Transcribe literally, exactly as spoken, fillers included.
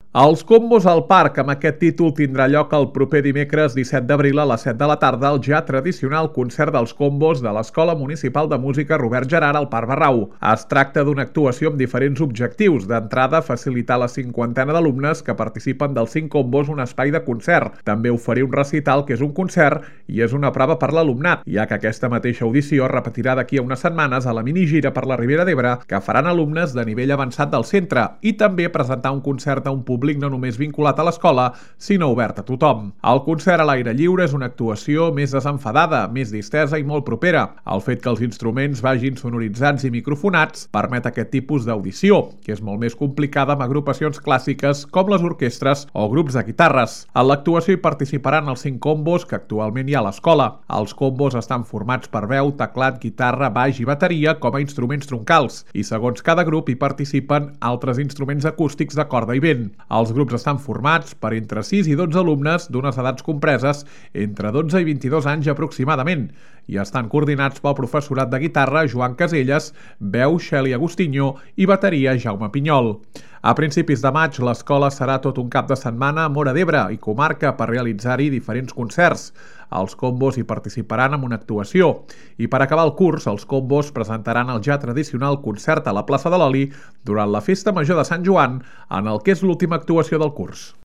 Els combos al parc, amb aquest títol, tindrà lloc el proper dimecres disset d'abril a les set de la tarda al ja tradicional concert dels combos de l'Escola Municipal de Música Robert Gerard al Parc Barrau. Es tracta d'una actuació amb diferents objectius. D'entrada, facilitar a la cinquantena d'alumnes que participen dels cinc combos un espai de concert. També oferir un recital que és un concert i és una prova per l'alumnat, ja que aquesta mateixa audició es repetirà d'aquí a unes setmanes a la minigira per la Ribera d'Ebre que faran alumnes de nivell avançat del centre i també presentar un concert a un públic públic no només vinculat a l'escola, sinó obert a tothom. El concert a l'aire lliure és una actuació més desenfadada, més distesa i molt propera. El fet que els instruments vagin sonoritzats i microfonats permet aquest tipus d'audició, que és molt més complicada amb agrupacions clàssiques com les orquestres o grups de guitarres. En l'actuació hi participaran els cinc combos que actualment hi ha a l'escola. Els combos estan formats per veu, teclat, guitarra, baix i bateria com a instruments troncals, i segons cada grup hi participen altres instruments acústics de corda i vent. Els grups estan formats per entre sis i dotze alumnes d'unes edats compreses entre dotze i vint-i-dos anys aproximadament i estan coordinats pel professorat de guitarra Joan Caselles, veu Xeli Agustinho i bateria Jaume Pinyol. A principis de maig l'escola serà tot un cap de setmana a Móra d'Ebre i comarca per realitzar-hi diferents concerts. Els combos hi participaran en una actuació i per acabar el curs els combos presentaran el ja tradicional concert a la plaça de l'Oli durant la Festa Major de Sant Joan en el que és l'última actuació del curs.